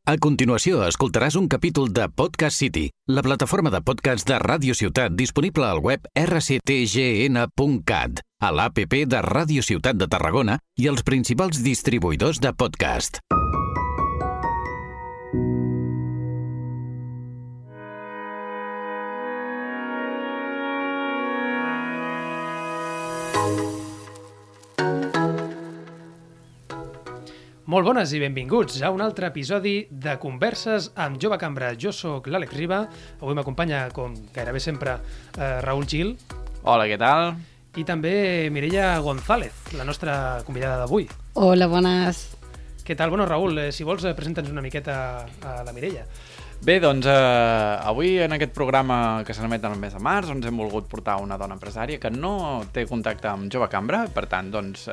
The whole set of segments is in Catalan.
A continuació, escoltaràs un capítol de Podcast City, la plataforma de podcast de Ràdio Ciutat disponible al web rctgn.cat, a l'APP de Ràdio Ciutat de Tarragona i els principals distribuïdors de podcast. Molt bones i benvinguts a un altre episodi de Converses amb Jove Cambra. Jo sóc l'Àlex Riba, avui m'acompanya, com gairebé sempre, Raül Gil. Hola, què tal? I també Mireia González, la nostra convidada d'avui. Hola, bones. Què tal? Bueno, Raül, si vols, presenta'ns una miqueta a la Mireia. Bé, doncs avui en aquest programa que s'emet el mes de març ens hem volgut portar una dona empresària que no té contacte amb Jove Cambra, per tant, doncs,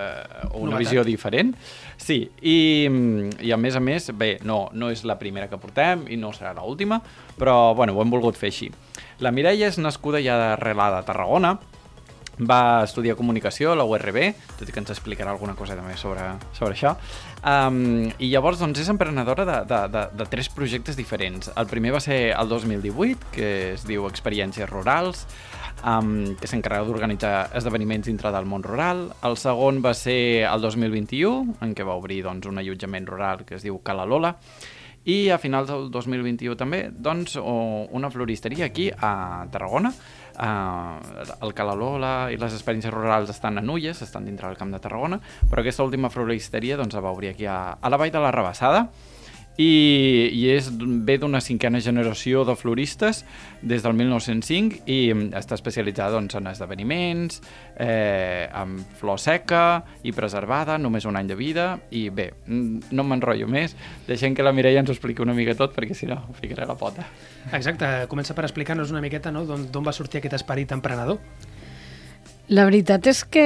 una visió diferent. Sí, i a més, bé, no és la primera que portem i no serà l'última, però bueno, ho hem volgut fer així. La Mireia és nascuda ja arrelada a Tarragona, va estudiar comunicació a la URB, tot i que ens explicarà alguna cosa també sobre això. I llavors doncs, és emprenedora de 3 projectes diferents. El primer va ser el 2018, que es diu Experiències Rurals, que s'encarrega d'organitzar esdeveniments dintre del món rural. El segon va ser el 2021, en què va obrir doncs, un allotjament rural que es diu Cala Lola. I a finals del 2021 també doncs, una floristeria aquí a Tarragona. El Cala Lola i les experiències rurals estan a Nulles, estan dintre del Camp de Tarragona, però aquesta última floristeria doncs, la va obrir aquí a la Vall de la Rabassada i ve d'una 5a generació de floristes des del 1905 i està especialitzada doncs, en esdeveniments, amb flor seca i preservada, només un any de vida. I bé, no m'enrotllo més, deixem que la Mireia ens ho expliqui una mica tot, perquè si no ficaré la pota. Exacte, comença per explicar-nos una miqueta, no?, d'on va sortir aquest esperit emprenedor. La veritat és que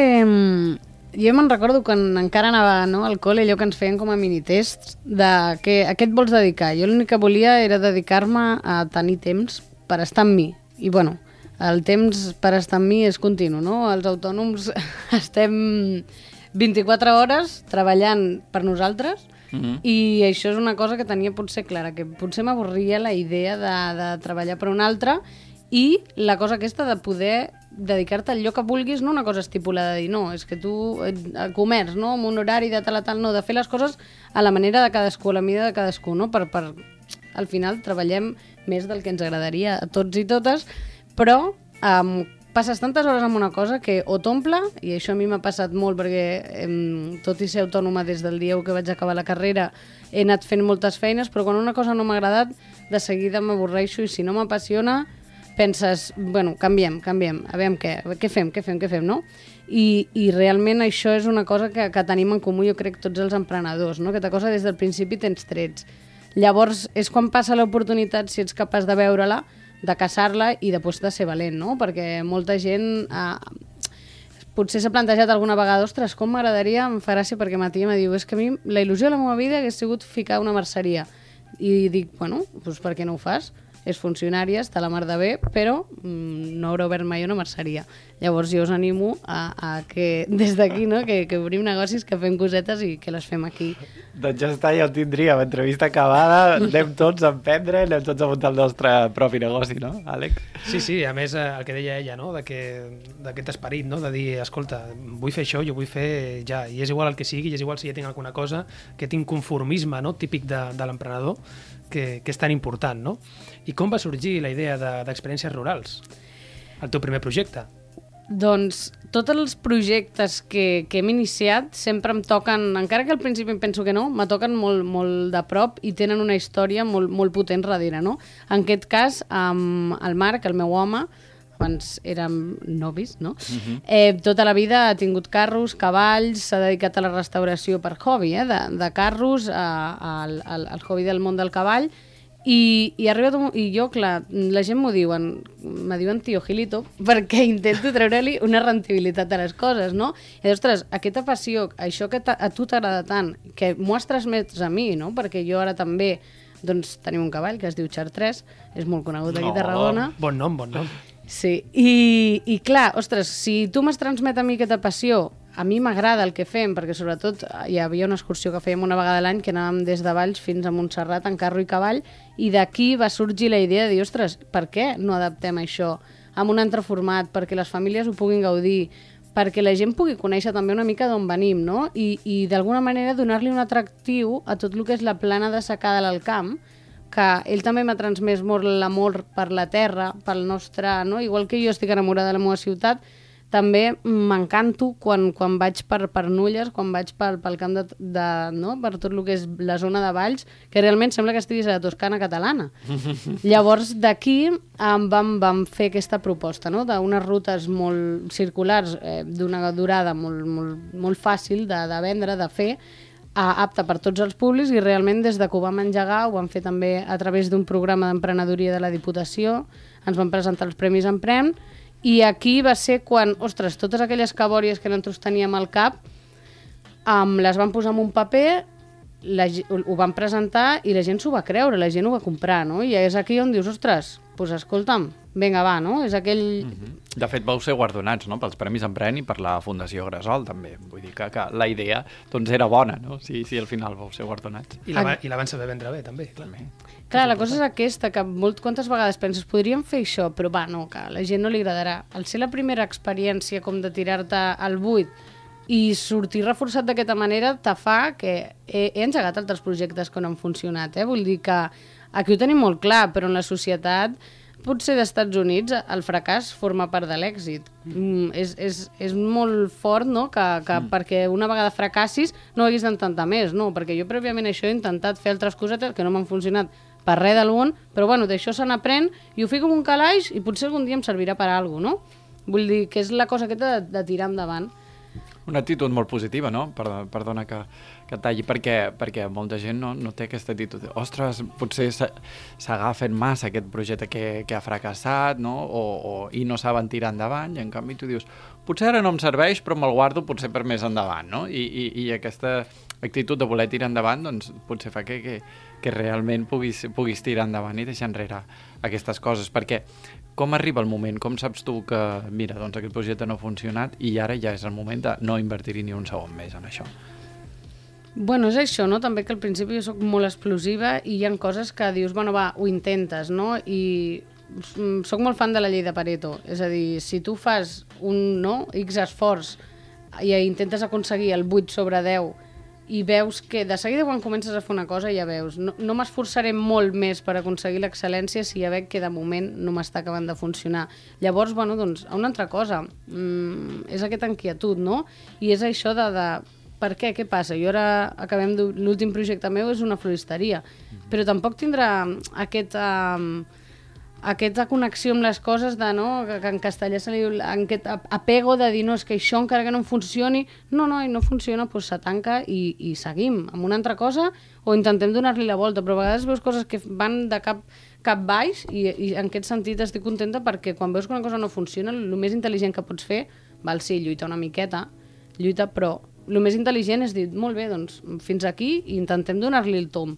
jo me'n recordo quan encara anava al col·le, allò que ens feien com a minitests de que a què et vols dedicar. Jo l'únic que volia era dedicar-me a tenir temps per estar amb mi. I bueno, el temps per estar amb mi és continu, no? Els autònoms estem 24 hores treballant per nosaltres i això és una cosa que tenia potser clara, que potser m'avorria la idea de treballar per un altre i la cosa aquesta de poder dedicar-te al lloc que vulguis, no una cosa estipulada de dir, no, és que tu, a comerç, no, amb un horari de tal a tal, no, de fer les coses a la manera de cadascú, a la mida de cadascú, no? Al final treballem més del que ens agradaria a tots i totes, però passes tantes hores amb una cosa que o t'omple, i això a mi m'ha passat molt perquè tot i ser autònoma des del dia que vaig acabar la carrera he anat fent moltes feines, però quan una cosa no m'ha agradat de seguida m'avorreixo i si no m'apassiona penses, bueno, canviem, a veure què fem, no? I realment això és una cosa que tenim en comú, jo crec, tots els emprenedors, no? Aquesta cosa des del principi tens trets. Llavors és quan passa l'oportunitat, si ets capaç de veure-la, de caçar-la i després de ser valent, no? Perquè molta gent potser s'ha plantejat alguna vegada, ostres, com m'agradaria, em fa gràcia perquè ma tia me diu, és que a mi la il·lusió de la meva vida hagués sigut ficar una merceria. I dic, bueno, doncs per què no ho fas? És funcionària, està a la mar de bé, però no haurà obert mai una merceria. Llavors jo us animo a que des d'aquí, no? que obrim negocis, que fem cosetes i que les fem aquí. Doncs ja està, ja ho tindríem. Entrevista acabada, anem tots a emprendre, anem tots a muntar el nostre propi negoci, no, Àlex? Sí, a més el que deia ella, no? D'aquest esperit, no? De dir, escolta, vull fer això, jo vull fer ja, i és igual el que sigui, i és igual si ja tinc alguna cosa, que tinc conformisme, no? Típic de l'emprenedor, que és tan important, no? I com va sorgir la idea d'Experiències Rurals, el teu primer projecte? Doncs tots els projectes que hem iniciat sempre em toquen, encara que al principi em penso que no, me toquen molt de prop i tenen una història molt potent darrere, no? En aquest cas, el Marc, el meu home, abans érem novis, no? Tota la vida ha tingut carros, cavalls, s'ha dedicat a la restauració per hobby, de carros al hobby del món del cavall. I jo, clar, la gent me diuen tio Gilito, perquè intento treure-li una rentabilitat a les coses, no? I ostres, aquesta passió, això que a tu t'agrada tant, que m'ho has transmès a mi, no? Perquè jo ara també, doncs, tenim un cavall que es diu Chartres, és molt conegut aquí a Tarragona. Bon nom. Sí, i clar, ostres, si tu m'has transmet a mi aquesta passió, a mi m'agrada el que fem, perquè sobretot hi havia una excursió que fèiem una vegada a l'any que anàvem des de Valls fins a Montserrat en carro i cavall, i d'aquí va sorgir la idea de dir, ostres, per què no adaptem això amb un altre format, perquè les famílies ho puguin gaudir, perquè la gent pugui conèixer també una mica d'on venim, no? I d'alguna manera donar-li un atractiu a tot el que és la plana de secada a l'Alt Camp, que ell també m'ha transmès molt l'amor per la terra, pel nostre... No? Igual que jo estic enamorada de la meva ciutat, també m'encanto quan vaig per Nulles, quan vaig pel camp no? Per tot el que és la zona de Valls, que realment sembla que estiguis a la Toscana catalana. Llavors, d'aquí vam fer aquesta proposta, no? D'unes rutes molt circulars, d'una durada molt fàcil de vendre, de fer, apta per tots els públics, i realment des que ho vam engegar ho vam fer també a través d'un programa d'emprenedoria de la Diputació, ens van presentar els Premis Emprèn, i aquí va ser quan, ostres, totes aquelles cabòries que nosaltres teníem al cap les vam posar en un paper, ho van presentar i la gent s'ho va creure, la gent ho va comprar, no? I és aquí on dius, ostres, doncs escolta'm, vinga, va, no? És aquell... De fet, vau ser guardonats, no?, pels Premis Emprèn i per la Fundació Gresol, també. Vull dir que la idea doncs, era bona, no?, si al final vau ser guardonats. I la van saber vendre bé, també. Clar, la cosa és aquesta, que quantes vegades penses, podríem fer això, però va, no, que a la gent no li agradarà. Al ser la primera experiència com de tirar-te al buit i sortir reforçat d'aquesta manera te fa que he engegat altres projectes que no han funcionat, Vull dir que aquí ho tenim molt clar, però en la societat, potser d'Estats Units, el fracàs forma part de l'èxit. És molt fort, no?, que perquè una vegada fracassis no haguis d'intentar més, no? Perquè jo prèviament això he intentat fer altres cosetes que no m'han funcionat per res del món, però bueno, d'això se n'aprèn i ho fico en un calaix i potser algun dia em servirà per a alguna cosa, no? Vull dir que és la cosa aquesta de tirar endavant. Una actitud molt positiva, no? Perdona que talli, perquè molta gent no té aquesta actitud. Ostres, potser s'agafen massa aquest projecte que ha fracassat, no? I no saben tirar endavant, i en canvi tu dius, potser ara no em serveix, però me'l guardo potser per més endavant, no? I aquesta actitud de voler tirar endavant, doncs potser fa que realment puguis tirar endavant i deixar enrere aquestes coses, perquè com arriba el moment? Com saps tu que, mira, doncs aquest projecte no ha funcionat i ara ja és el moment de no invertir-hi ni un segon més en això? Bueno, és això, no? També que al principi jo soc molt explosiva i hi ha coses que dius, bueno, va, ho intentes, no? I soc molt fan de la llei de Pareto. És a dir, si tu fas X esforç i intentes aconseguir el 8/10 i veus que de seguida quan comences a fer una cosa ja veus, no m'esforçaré molt més per aconseguir l'excel·lència si ja veig que de moment no m'està acabant de funcionar. Llavors, bueno, doncs, una altra cosa, és aquesta inquietud, no? I és això de per què? Què passa? Jo ara acabem l'últim projecte meu és una floristeria, però tampoc tindrà aquesta connexió amb les coses de, no, que en castellà se li diu aquest apego de dir, no, és que això encara que no funcioni, no funciona, doncs se tanca i seguim amb una altra cosa o intentem donar-li la volta, però a vegades veus coses que van de cap baix i en aquest sentit estic contenta perquè quan veus que una cosa no funciona, el més intel·ligent que pots fer, val, sí, lluita una miqueta, però el més intel·ligent és dir, molt bé, doncs fins aquí i intentem donar-li el tom,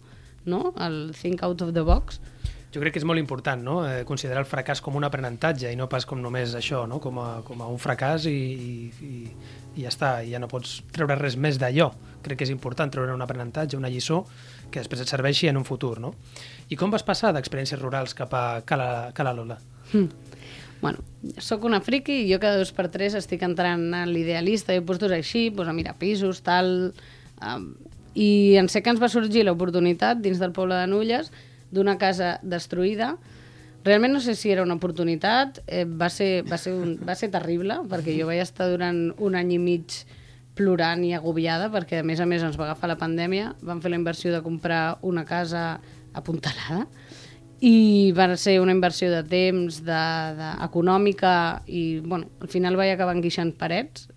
no? El think out of the box. Jo crec que és molt important, no? Considerar el fracàs com un aprenentatge i no pas com només això, no? Com a un fracàs i ja està, i ja no pots treure res més d'allò. Crec que és important treure un aprenentatge, una lliçó, que després et serveixi en un futur, no? I com vas passar d'experiències rurals cap a Cala Lola? Bueno, sóc una friki i jo cada 2 per 3 estic entrant a l'idealista i puestos així, a mirar pisos, tal... I en sé que ens va sorgir l'oportunitat dins del poble de Nulles d'una casa destruïda. Realment no sé si era una oportunitat, va ser terrible, perquè jo vaig estar durant 1 any i mig plorant i agobiada, perquè a més ens va agafar la pandèmia, vam fer la inversió de comprar una casa apuntalada, i va ser una inversió de temps, econòmica, i bueno, al final vaig acabar enguixant parets,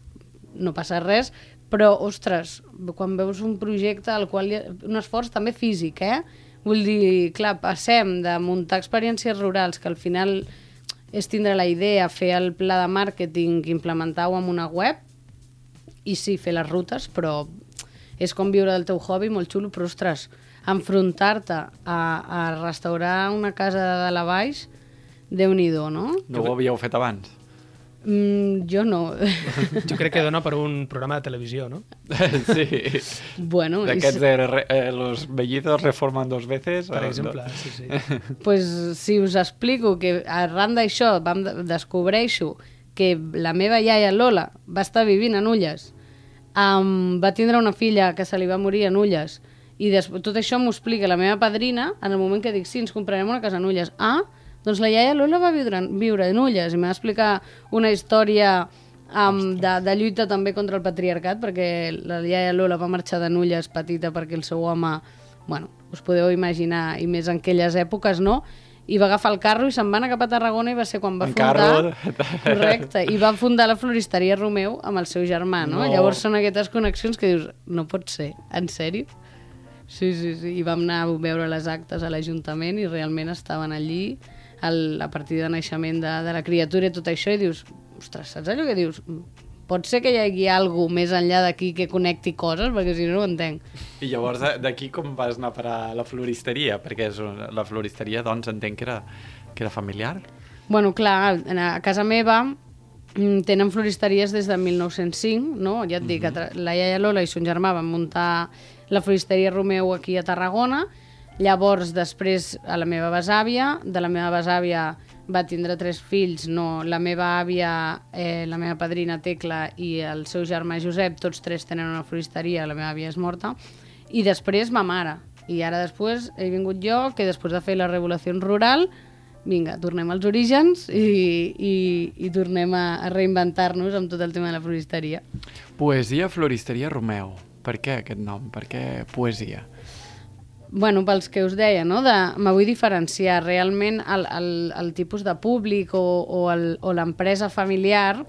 no passa res, però, ostres, quan veus un projecte al qual un esforç també físic, Vull dir, clar, passem de muntar experiències rurals, que al final és tindre la idea, fer el pla de màrqueting, implementar-ho en una web, i sí, fer les rutes, però és com viure del teu hobby, molt xulo, però, ostres, enfrontar-te a restaurar una casa de dalt a baix, Déu-n'hi-do, no? No ho havíeu fet abans? Jo no. Jo crec que dona per un programa de televisió, no? Sí. Bueno, D'aquests de los vellidos reforman 2 veces. Per exemple, sí. pues, si us explico que arran d'això descobreixo que la meva iaia Lola va estar vivint a Nulles, va tindre una filla que se li va morir a Nulles, i tot això m'ho explica la meva padrina en el moment que dic, sí, ens comprarem una casa a Nulles. Doncs la iaia Lola va viure a Nulles i m'ha explicar una història de lluita també contra el patriarcat, perquè la iaia Lola va marxar de Nulles petita perquè el seu home, bueno, us podeu imaginar, i més en aquelles èpoques, no? I va agafar el carro i se'n va anar cap a Tarragona i va ser quan va fundar... Correcte, i va fundar la floristeria Romeu amb el seu germà, no? Llavors són aquestes connexions que dius, no pot ser, en sèrio? Sí, i vam anar a veure les actes a l'Ajuntament i realment estaven allí a partir de naixement de la criatura i tot això, i dius, ostres, saps allò que dius? Pot ser que hi hagi alguna cosa més enllà d'aquí que connecti coses, perquè si no, no ho entenc. I llavors d'aquí com vas anar a parar la floristeria? Perquè la floristeria, doncs, entenc que era familiar? Bueno, clar, a casa meva tenen floristeries des de 1905, no? Ja et dic, la iaia Lola i son germà van muntar la floristeria Romeu aquí a Tarragona. Llavors, després, a la meva besàvia, de la meva besàvia va tindre 3 fills, la meva àvia, la meva padrina Tecla i el seu germà Josep, tots 3 tenen una floristeria, la meva àvia és morta, i després ma mare. I ara després he vingut jo, que després de fer la revolució rural, vinga, tornem als orígens i tornem a reinventar-nos amb tot el tema de la floristeria. Poesia Floristeria Romeu. Per què aquest nom? Per què poesia? Bueno, pels que us deia, no? Me vull diferenciar. Realment el tipus de públic o l'empresa familiar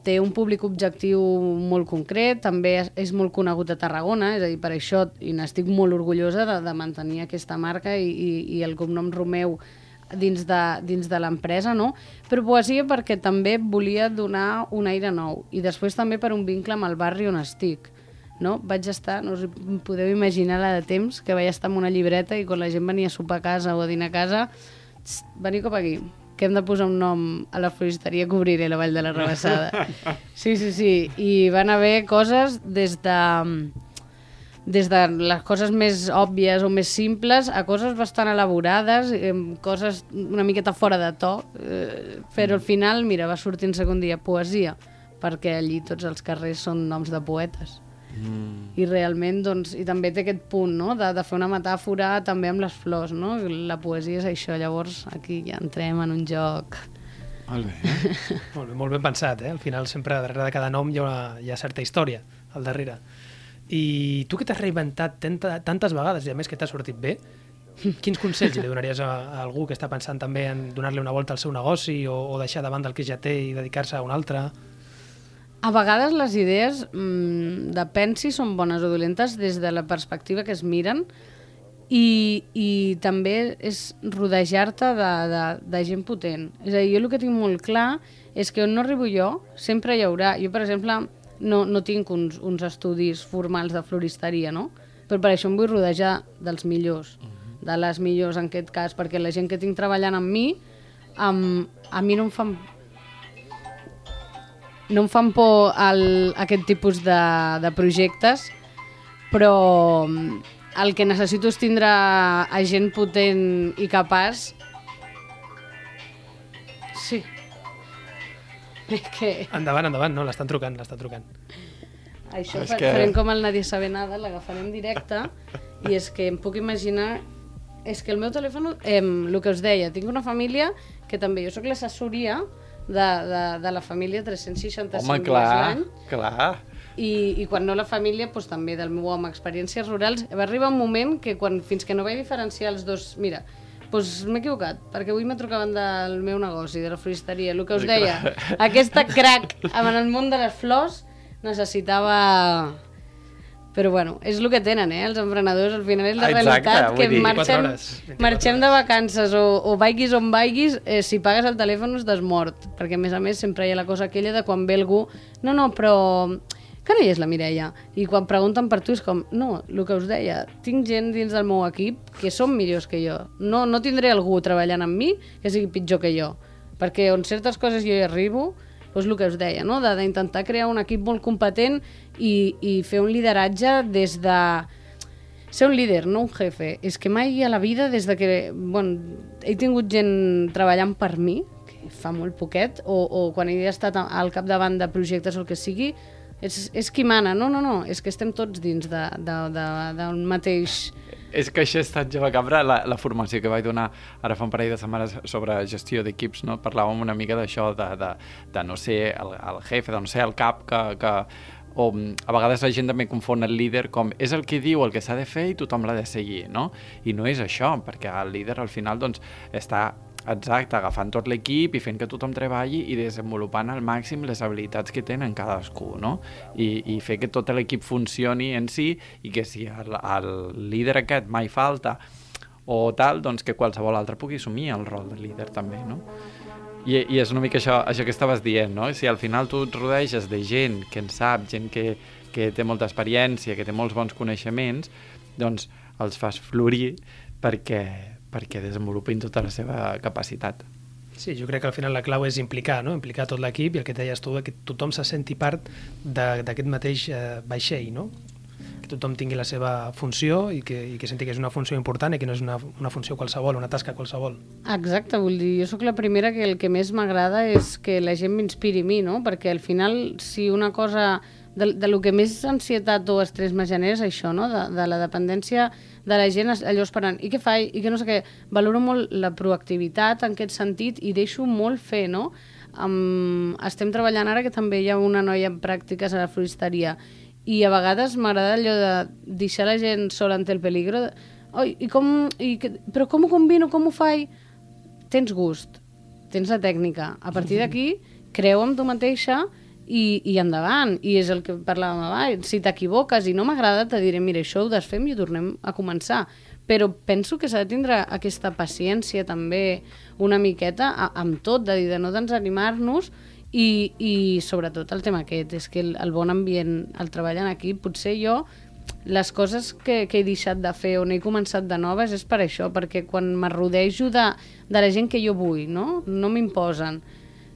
té un públic objectiu molt concret, també és molt conegut a Tarragona, és a dir, per això i n'estic molt orgullosa de mantenir aquesta marca i el cognom Romeu dins de l'empresa, no? Però poesia perquè també volia donar un aire nou i després també per un vincle amb el barri on estic. No? Vaig estar, no us podeu imaginar la de temps, que vaig estar amb una llibreta i quan la gent venia a sopar a casa o a dinar a casa, veniu cap aquí, que hem de posar un nom a la floristeria que obriré la Vall de la Rabassada. Sí, i van haver coses des de les coses més òbvies o més simples a coses bastant elaborades, coses una miqueta fora de to, però al final, mira, va sortir en segon dia poesia, perquè allí tots els carrers són noms de poetes. I realment, doncs, i també té aquest punt, no?, de fer una metàfora també amb les flors, no? La poesia és això, llavors aquí ja entrem en un joc. Molt bé. Molt ben pensat, eh? Al final sempre darrere de cada nom hi ha certa història al darrere. I tu que t'has reinventat tantes vegades i a més que t'ha sortit bé, quins consells li donaries a algú que està pensant també en donar-li una volta al seu negoci o deixar de banda el que ja té i dedicar-se a un altre? A vegades les idees, depèn si són bones o dolentes des de la perspectiva que es miren i també és rodejar-te de gent potent. És a dir, jo el que tinc molt clar és que on no arribo jo, sempre hi haurà... Jo, per exemple, no tinc uns estudis formals de floristeria, no? Però per això em vull rodejar dels millors, de les millors en aquest cas, perquè la gent que tinc treballant amb mi, a mi no em fan por aquest tipus de projectes, però el que necessito és tindre a gent potent i capaç. Sí. Endavant, no, l'estan trucant. Això farem com el Nadie sabe nada, l'agafarem directe, i és que em puc imaginar... És que el meu telèfon, el que us deia, tinc una família que també, jo soc l'assessoria de la família 365 dies l'any. Clar. I quan no la família, doncs també del meu home, experiències rurals. Va arribar un moment que fins que no vaig diferenciar els dos... Mira, doncs m'he equivocat, perquè avui me trucaven del meu negoci, de la floristeria. El que us deia, aquesta crac en el món de les flors necessitava... Però bueno, és el que tenen, els emprenedors, al final és la realitat, que marxem de vacances o vaiguis on vaiguis, si pagues el telèfon estàs mort, perquè a més sempre hi ha la cosa aquella de quan ve algú, no, però que no hi és la Mireia? I quan pregunten per tu és com, no, el que us deia, tinc gent dins del meu equip que són millors que jo, no tindré algú treballant amb mi que sigui pitjor que jo, perquè on certes coses jo hi arribo doncs el que us deia, no? D'intentar crear un equip molt competent i fer un lideratge des de... Ser un líder, no un jefe. És que mai a la vida, des de que... he tingut gent treballant per mi, que fa molt poquet, o quan he estat al capdavant de projectes o el que sigui, és qui mana. No, és que estem tots dins d'un mateix... És que això ha estat Jove Cambra, la formació que vaig donar ara fa un parell de setmanes sobre gestió d'equips, no? Parlàvem una mica d'això, de no ser el jefe, de no ser el cap, o a vegades la gent també confon el líder com és el que diu el que s'ha de fer i tothom l'ha de seguir, no? I no és això, perquè el líder al final doncs, està agafant tot l'equip i fent que tothom treballi i desenvolupant al màxim les habilitats que tenen cadascú, no? I fer que tot l'equip funcioni en si i que si el líder aquest mai falta o tal, doncs que qualsevol altre pugui assumir el rol de líder també, no? I és una mica això que estaves dient, no? Si al final tu et rodeges de gent que en sap, gent que té molta experiència, que té molts bons coneixements, doncs els fas florir perquè desenvolupin tota la seva capacitat. Sí, jo crec que al final la clau és implicar, no? Implicar tot l'equip i el que deies tu, que tothom se senti part d'aquest mateix vaixell, no? Que tothom tingui la seva funció i que senti que és una funció important i que no és una funció qualsevol, una tasca qualsevol. Exacte, vull dir, jo sóc la primera que el que més m'agrada és que la gent m'inspiri a mi, no? Perquè al final, si una cosa... De lo que més ansietat o estrès me genera és això, no? De la dependència de la gent, allò esperant, i què faig, i que no sé què. Valoro molt la proactivitat en aquest sentit i deixo molt fer, no? Estem treballant ara que també hi ha una noia en pràctiques a la floristeria i a vegades m'agrada allò de deixar la gent sola ante el peligro. Però com ho combino, com ho faig? Tens gust, tens la tècnica. A partir d'aquí, creu en tu mateixa i endavant, i és el que parlàvem abans. Si t'equivoques i no m'agrada, te diré, mira, això ho desfem i ho tornem a començar. Però penso que s'ha de tindre aquesta paciència també una miqueta amb tot, de dir, de no desanimar-nos i sobretot el tema aquest, és que el bon ambient, el treball en equip, potser jo les coses que he deixat de fer on he començat de noves és per això, perquè quan m'arrodejo de la gent que jo vull, no m'imposen.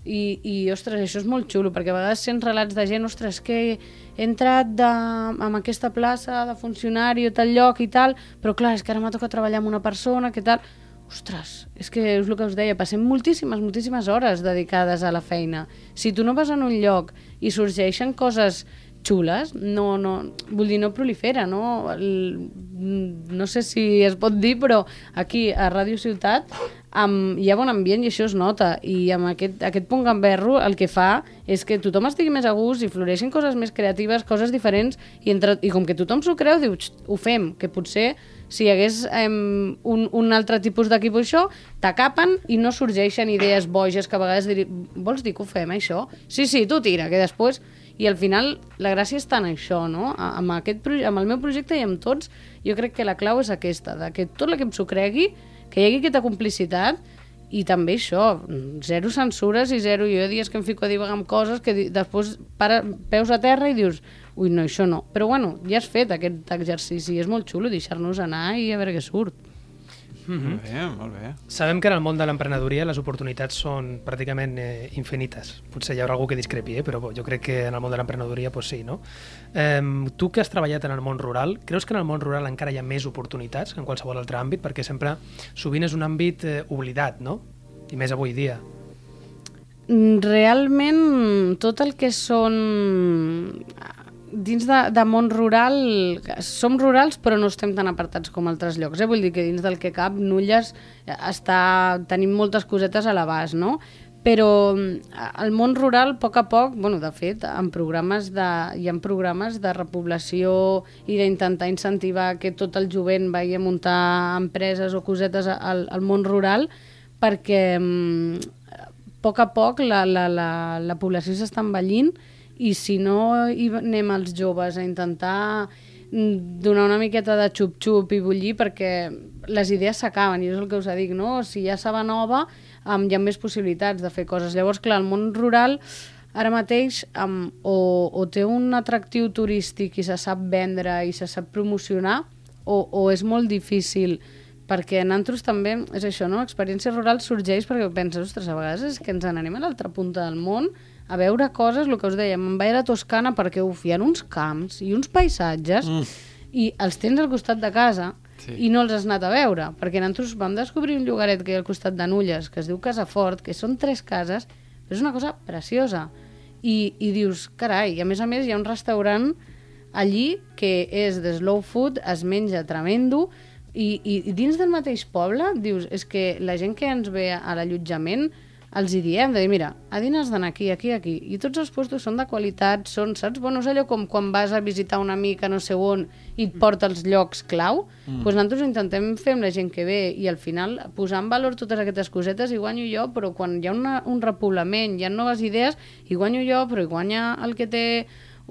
I, ostres, això és molt xulo, perquè a vegades sents relats de gent, ostres, que he entrat en aquesta plaça de funcionari o tal lloc i tal, però clar, és que ara m'ha tocat treballar amb una persona, que tal... Ostres, és que és el que us deia, passem moltíssimes hores dedicades a la feina. Si tu no vas en un lloc i sorgeixen coses xules, vull dir, no prolifera, no? No sé si es pot dir, però aquí a Ràdio Ciutat hi ha bon ambient i això es nota, i amb aquest punt gamberro el que fa és que tothom estigui més a gust i floreixin coses més creatives, coses diferents, i com que tothom s'ho creu, diu, ho fem, que potser si hi hagués un altre tipus d'equip o això, t'acapen i no sorgeixen idees boges que a vegades vols dir que ho fem, això? Sí, tu tira, que després... I al final la gràcia està en això, no? Amb el meu projecte i amb tots, jo crec que la clau és aquesta, que tot l'equip s'ho cregui, que hi hagi aquesta complicitat i també això, zero censures i zero... Jo hi ha dies que em fico a divagar amb coses que després peus a terra i dius ui, no, això no. Però bueno, ja has fet aquest exercici, és molt xulo deixar-nos anar i a veure què surt. Molt bé, molt bé. Sabem que en el món de l'emprenedoria les oportunitats són pràcticament infinites. Potser hi haurà algú que discrepi, però jo crec que en el món de l'emprenedoria pues sí, no? Tu que has treballat en el món rural, creus que en el món rural encara hi ha més oportunitats que en qualsevol altre àmbit? Perquè sempre, sovint és un àmbit oblidat, no? I més avui dia. Realment, tot el que són... Dins de món rural, som rurals però no estem tan apartats com altres llocs. Vull dir que dins del que cap, Nulles tenim moltes cosetes a l'abast, no? Però el món rural, a poc, de fet, hi ha programes de repoblació i d'intentar incentivar que tot el jovent vagi a muntar empreses o cosetes al món rural, perquè a poc la població s'està envellint i si no hi anem els joves a intentar donar una miqueta de xup-xup i bullir, perquè les idees s'acaben, i és el que us dic, no? Si hi ha saba nova, hi ha més possibilitats de fer coses. Llavors, clar, el món rural ara mateix o té un atractiu turístic i se sap vendre i se sap promocionar, o és molt difícil perquè nosaltres també, és això, no? Experiència rural sorgeix perquè penses, ostres, a vegades és que ens n'anem a l'altra punta del món a veure coses, el que us dèiem, em vaig a Toscana perquè hi ha uns camps i uns paisatges i els tens al costat de casa i no els has anat a veure, perquè nosaltres vam descobrir un llogaret que hi ha al costat de Nulles, que es diu Casafort, que són 3 cases, però és una cosa preciosa. I dius, carai, i a més hi ha un restaurant allí que és de slow food, es menja tremendo, i dins del mateix poble, dius, és que la gent que ens ve a l'allotjament els hi diem, de dir, mira, a dinar has d'anar aquí, aquí, aquí, i tots els puestos són de qualitat, són, saps? Bueno, és allò com quan vas a visitar un amic a no sé on i et porta els llocs clau, doncs nosaltres intentem fer amb la gent que ve i al final posar en valor totes aquestes cosetes i guanyo jo, però quan hi ha un repoblament, hi ha noves idees, i guanyo jo, però hi guanya el que té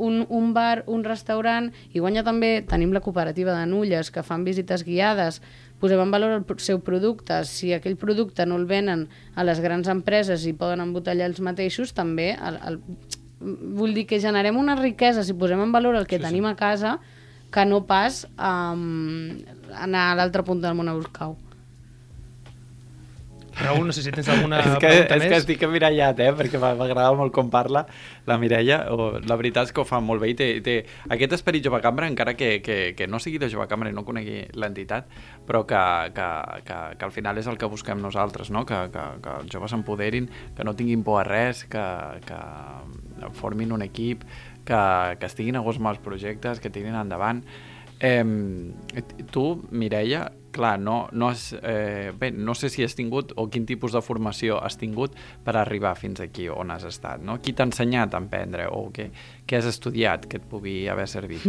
un bar, un restaurant, i guanya també, tenim la cooperativa de Nulles, que fan visites guiades, posem en valor el seu producte, si aquell producte no el venen a les grans empreses i poden embotellar els mateixos, també vull dir que generem una riquesa si posem en valor el que tenim a casa, que no pas anar a l'altra punta del món a buscar-ho. Raül, no sé si tens alguna pregunta més. És que estic emmirallat, perquè m'agrada molt com parla la Mireia. La veritat és que ho fa molt bé i té aquest esperit jove cambra, encara que no sigui de jove cambra i no conegui l'entitat, però que al final és el que busquem nosaltres, no? Que els joves s'empoderin, que no tinguin por a res, que formin un equip, que estiguin a gust amb els projectes, que tirin endavant. Tu, Mireia, clar, no sé si has tingut o quin tipus de formació has tingut per arribar fins aquí on has estat, no? Qui t'ha ensenyat a emprendre o què has estudiat que et pugui haver servit?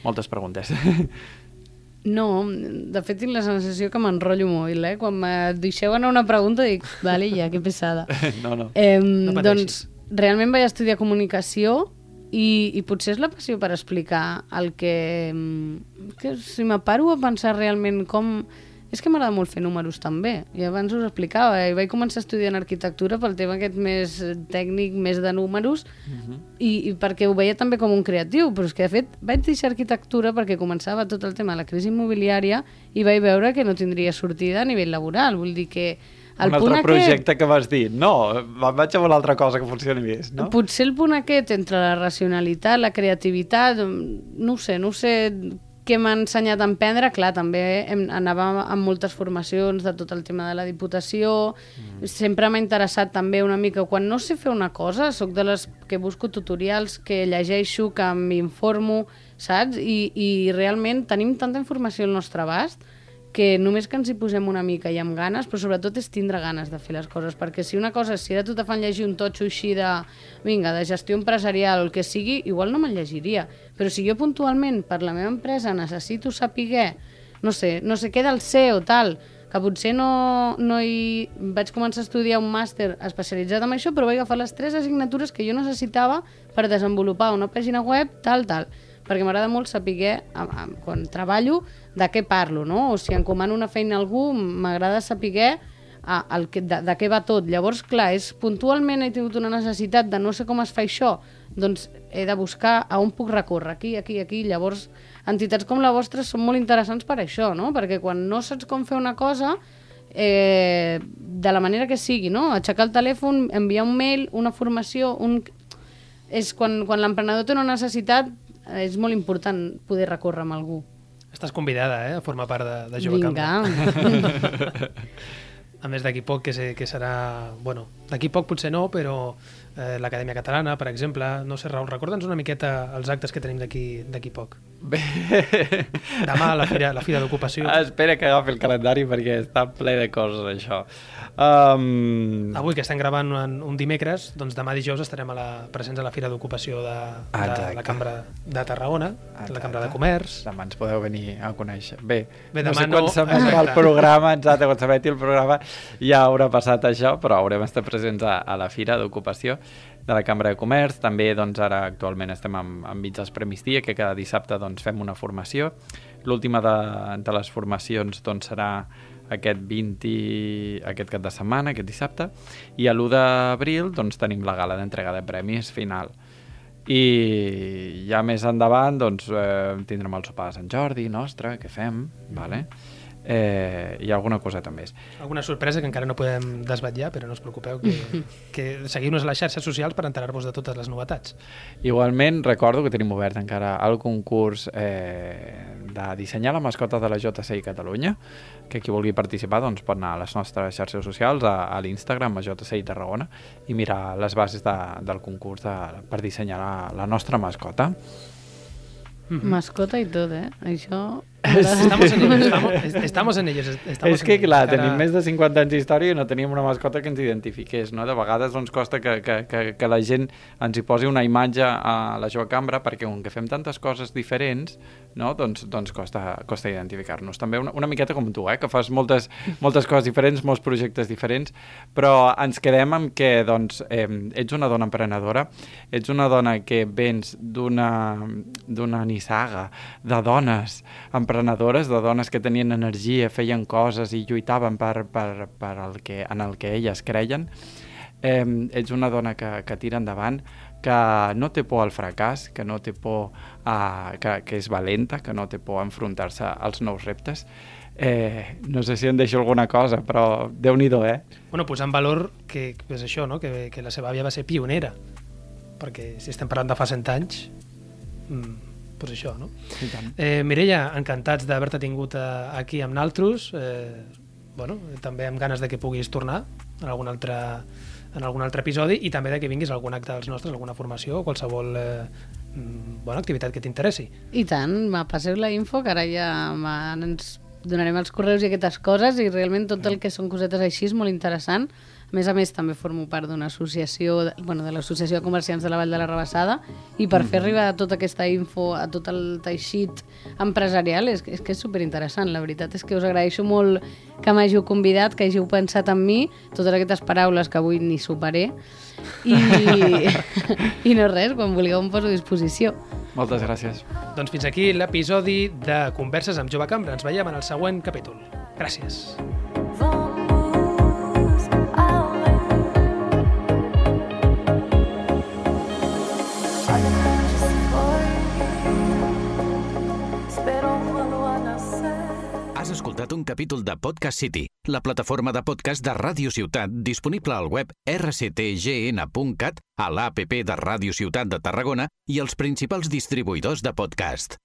Moltes preguntes. No, de fet tinc la sensació que m'enrotllo molt, Quan me deixeu anar una pregunta dic, vale, ja, que pesada. No doncs realment vaig estudiar comunicació i potser és la passió per explicar el que si me paro a pensar realment com... És que m'agrada molt fer números també, i abans us explicava, i vaig començar estudiant arquitectura pel tema aquest més tècnic, més de números, i perquè ho veia també com un creatiu, però és que de fet vaig deixar arquitectura perquè començava tot el tema de la crisi immobiliària i vaig veure que no tindria sortida a nivell laboral, vull dir que un altre projecte que vas dir, no, vaig a una altra cosa que funcioni més, no? Potser el punt aquest entre la racionalitat, la creativitat, no sé què m'ha ensenyat a emprendre. Clar, també anava amb moltes formacions de tot el tema de la Diputació, sempre m'ha interessat també una mica, quan no sé fer una cosa, soc de les que busco tutorials, que llegeixo, que m'informo, saps? I realment tenim tanta informació al nostre abast que només que ens hi posem una mica i amb ganes, però sobretot és tindre ganes de fer les coses, perquè si una cosa, si ara tu te fan llegir un totxo així de gestió empresarial o el que sigui, igual no me'l llegiria, però si jo puntualment per la meva empresa necessito saber, no sé què del CEO tal, que potser no hi... Vaig començar a estudiar un màster especialitzat en això, però vaig agafar les 3 assignatures que jo necessitava per desenvolupar una pàgina web, tal, perquè m'agrada molt saber, quan treballo, de què parlo, no? O si encomano una feina a algú, m'agrada saber de què va tot. Llavors, clar, puntualment he tingut una necessitat de no sé com es fa això, doncs he de buscar a on puc recórrer, aquí. Llavors, entitats com la vostra són molt interessants per això, no? Perquè quan no saps com fer una cosa, de la manera que sigui, no? Aixecar el telèfon, enviar un mail, una formació... És quan l'emprenedor té una necessitat, és molt important poder recórrer amb algú. Estàs convidada, a formar part de Jove Cambra. Vinga. A més, d'aquí poc, que serà... Bueno, d'aquí poc potser no, però l'Acadèmia Catalana, per exemple. No sé, Raül, recorda'ns una miqueta els actes que tenim d'aquí poc. Bé... Demà, la Fira d'Ocupació. Espera que agafi el calendari perquè està ple de coses, això. Avui, que estem gravant un dimecres, doncs demà dijous estarem presents a la Fira d'Ocupació de la Cambra de Tarragona, la Cambra de Comerç. Demà ens podeu venir a conèixer. Bé, demà no sé quan s'emetrà el programa, quan s'emeti el programa ja haurà passat això, però haurem estat presents a la Fira d'Ocupació de la Cambra de Comerç. També doncs, ara actualment estem enmig dels Premis Dia, que cada dissabte doncs, fem una formació. L'última de les formacions doncs, serà aquest cap de setmana, aquest dissabte, i a l'1 d'abril doncs, tenim la gala d'entrega de premis final. I ja més endavant doncs, tindrem el sopar de Sant Jordi nostre, que fem, vale? i alguna coseta més. Alguna sorpresa que encara no podem desvetllar, però no us preocupeu, que seguiu-nos a les xarxes socials per enterar-vos de totes les novetats. Igualment, recordo que tenim obert encara el concurs de dissenyar la mascota de la JCI Catalunya, que qui vulgui participar doncs, pot anar a les nostres xarxes socials, a l'Instagram, a JCI Tarragona, i mirar les bases del concurs per dissenyar la nostra mascota. Mascota i tot, Això... Estamos en ellos. És que, clar, tenim més de 50 anys d'història i no teníem una mascota que ens identifiqués, no? De vegades doncs, costa que la gent ens hi posi una imatge a la jove cambra, perquè com que fem tantes coses diferents, no? doncs costa identificar-nos. També una miqueta com tu, que fas moltes coses diferents, molts projectes diferents, però ens quedem amb que doncs, ets una dona emprenedora, ets una dona que vens d'una nissaga de dones emprenedores, de dones que tenien energia, feien coses i lluitaven per en el que elles creien. Ets una dona que tira endavant, que no té por al fracàs, que no té por que és valenta, que no té por a enfrontar-se als nous reptes. No sé si em deixo alguna cosa, però Déu-n'hi-do, Bueno, posar en valor que és això, no? que la seva àvia va ser pionera, perquè si estem parlant de fa 100 anys, doncs això, no? Mireia, encantats d'haver-te tingut aquí amb naltros, també amb ganes de que puguis tornar en algun altre episodi i també de que vinguis a algun acte dels nostres, alguna formació o qualsevol activitat que t'interessi. I tant, passeu la info, que ara ja ens donarem els correus i aquestes coses, i realment tot el que són cosetes així és molt interessant. A més, també formo part d'una associació, de l'Associació de Comerciants de la Vall de la Rabassada, i per fer arribar tota aquesta info a tot el teixit empresarial és que és superinteressant. La veritat és que us agraeixo molt que m'hàgiu convidat, que hàgiu pensat en mi, totes aquestes paraules que avui ni superé, i no res, quan vulgueu em poso a disposició. Moltes gràcies. Doncs fins aquí l'episodi de Converses amb Jove Cambra. Ens veiem en el següent capítol. Gràcies. Has escoltat un capítol de Podcast City, la plataforma de podcast de Ràdio Ciutat disponible al web rctgn.cat, a l'APP de Ràdio Ciutat de Tarragona i els principals distribuïdors de podcast.